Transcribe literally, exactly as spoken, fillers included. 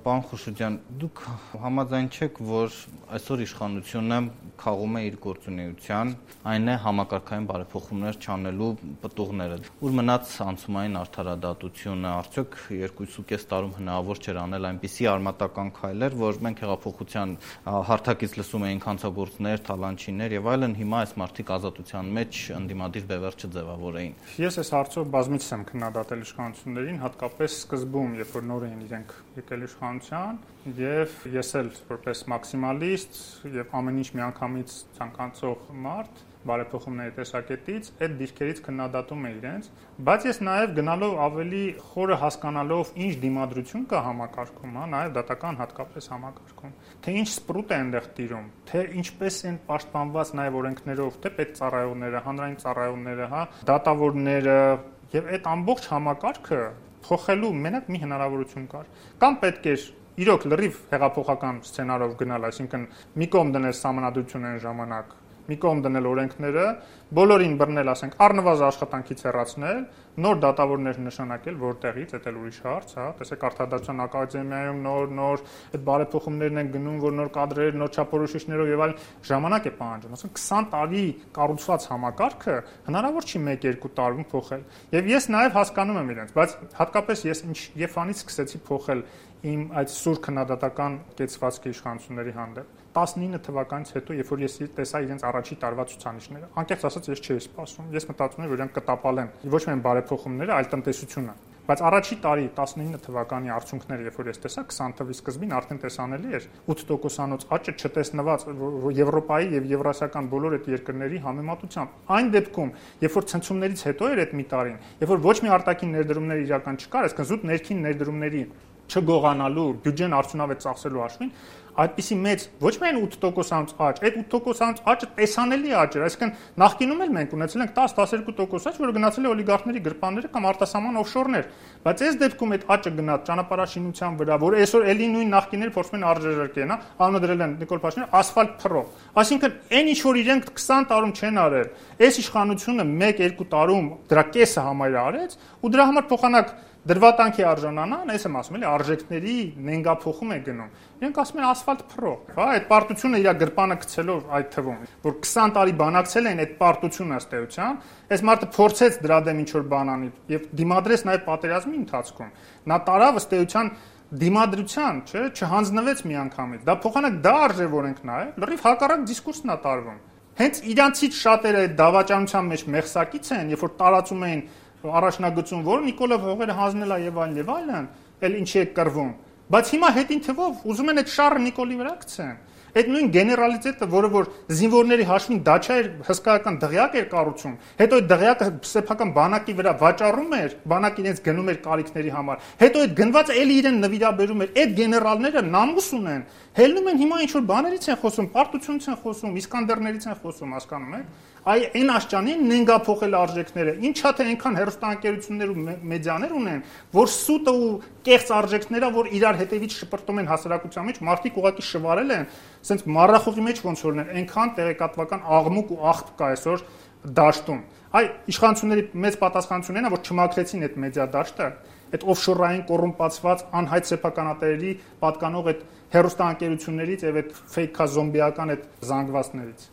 Պարոն Խուշուջյան, դուք համաձայն չեք, որ այսօր իշխանությունը քաղում է իր գործունեության, այն է համակարգային բարեփոխումներ չանելու պտուղները։ Ուր մնաց անցումային արդարադատությունը, արդյոք երկուսուկես տարում հնարավոր չէր անել այնպիսի արմատական քայլեր, որ մենք հեղափոխության հարթակից լսում էինք հանցագործներ, թալանչիներ եւ այլն, հիմա այս մարդիկ ազատության մեջ ընդդիմադիր բևեռ չձևավորեին։ Ես այս հարցով բազմիցս եմ քննադատել իշխանություններին, հատկապես սկզբում, երբ որ նոր էին իրենք եկել իշխանության, եւ ես էլ որպես մաքսիմալիստ եւ ամեն ինչ միանգամից ցանկացող մարդ բարեփոխումների տեսակետից այդ դիրքերից քննադատում է իրենց, բայց ես նաև գնալով ավելի խորը հասկանալով ինչ դիմադրություն կա համակարգում, հա, նաև դատական հատկապես համակարգում, թե ինչ սպրուտ է այնտեղ տիրում, թե ինչպես են պաշտպանված նաև օրենքներով, թե պետծառայողները, հանրային ծառայողները, հա, դատավորները եւ այդ ամբողջ համակարգը փոխելու մենակ մի հնարավորություն կար։ Կամ պետք էր իրոք լրիվ հեղափոխական սցենարով գնալ, այսինքն մի կողմ դնել սահմանադրություն այն ժամանակ, մի կողմ դնել օրենքները, բոլորին բռնել, ասենք, առնվազն աշխատանքից հեռացնել, նոր դատավորներ նշանակել որտեղից, դա էլ ուրիշ հարց, հա, տեսեք արդարադատության ակադեմիայում նոր նոր այդ բարեփոխումներն են գնում, որ նոր կադրեր, նոր չափորոշիչներով եւ այլ ժամանակ է պահանջում, ասենք քսան տարի կառուցված համակարգը հնարավոր չի մեկ-երկու տարում փոխել։ Եվ ես նաեւ հասկանում եմ իրենց, բայց հատկապես ես ինչ Եվանից սկսեցի փոխել իմ այդ սուր քննադատական կեցվածքը իշխանությունների հանդեպ տասնինը թվականից հետո, երբ որ ես տեսա իրենց առաջի տարվա ցուցանիշները, անկեղծ ասած ես չէի սպասում։ Ես մտածում եմ, որ իրանք կտապալեն ոչ միայն բարեփոխումները, այլ տնտեսությունը։ Բայց առաջի տարի տասնինը թվականի արդյունքները, երբ որ ես տեսա քսան թվականի սկզբին արդեն տեսանելի էր ութ տոկոսանոց աճը չտեսնված Եվրոպայի եւ եվրասիական բոլոր այդ երկրների համեմատությամբ։ Այն դեպքում, երբ որ ցնցումներից հետո էր այդ մի տարին, երբ որ ոչ մի արտաքին ներդրումներ իրական չկար, այսինքն զուտ ներքին ներդրումների չգողանալու, բյուջեն արդյունավետ ծախսելու հաշվին, այդպիսի մեծ ոչ միայն ութ տոկոսանոց աճ, այդ ութ տոկոսանոց աճը տեսանելի աճ էր, այսինքն նախկինում էլ մենք ունեցել ենք տասը տասներկու տոկոս աճ, որը գնացել է օլիգարխների գրպանները կամ արտասահման օֆշորներ, բայց այս դեպքում այդ աճը գնաց ճանապարհաշինության վրա, որ այսօր էլի նույն նախկիները փորձում են արժեզրկել, հա, անունը դրել են Նիկոլ Փաշինյանը ասֆալտ փռով։ Այսինքն այն ինչ որ իրենք քսան տարում չեն արել, այս իշխանությունը մեկ-երկու տարում դրա կեսը համարյա արեց ու դրա համար փոխանակ դրվատանքի արժանանան, ես եմ ասում, էլի արժեքների նենգափոխում է գնում։ Իրենք ասում են ասֆալտ փռող, հա, այդ պարտությունը իր գրպանը գցելով այդ թվում, որ քսան տարի բանակցել են այդ պարտությունը ըստ էության, այս մարդը փորձեց դրա դեմ ինչ-որ բան անի եւ դիմադրեց նաեւ պատերազմի ընթացքում։ Նա տարավ ըստ էության դիմադրության, չէ, չհանձնվեց միանգամից։ Դա փոխանակ դա արժևորենք նաեւ, լրիվ հակառակ դիսկուրսն է տարվում։ Հենց իրանցից շատերը այդ դավաճանության մեջ մեղսակից են, երբ որ տարածում էին առաջնագծում, որ Նիկոլը հողերը հանձնել է եւ այլն եւ այլն, էլ ինչի է կռվում։ Բայց հիմա հետին թվով ուզում են այդ շարը Նիկոլի վրա գցեն։ Այդ նույն գեներալիտետը, որը որ զինվորների հաշվին դաչա էր, հսկայական դղյակ էր կառուցում, հետո այդ դղյակը սեփական բանակի վրա վաճառում էր, բանակը իրենց գնում էր կարիքների համար, հետո այդ գնվածը էլի իրեն նվիրաբերում էր, այդ գեներալները նամուս ունեն, հելնում են հիմա ինչ-որ բաներից են խոսում, պարտությունից են խոսում, իսկանդերներից են խոսում, հասկանում եք։ Այ այն աշճանին նենգափոխել արժեքները, ինչա թե այնքան հերոստանգերություններ ու մեդիաներ ունեն, որ սուտը ու կեղծ արժեքները, որ իրար հետևից շպրտում են հասարակության մեջ, մարդիկ ուղղակի շվարել են, ասենց մառախուղի մեջ ոնց որ են, այնքան տեղեկատվական աղմուկ ու աղբ կա այսօր դաշտում։ Այ իշխանությունների մեծ պատասխանությունն է, որ չմաքրեցին այդ մեդիա դաշտը, այդ օֆշորային կոռումպացված անհայտ սեփականատերերի պատկանող այդ հերոստանգերություններից եւ այդ ֆեյքա զոմբիական այդ զանգվածներից։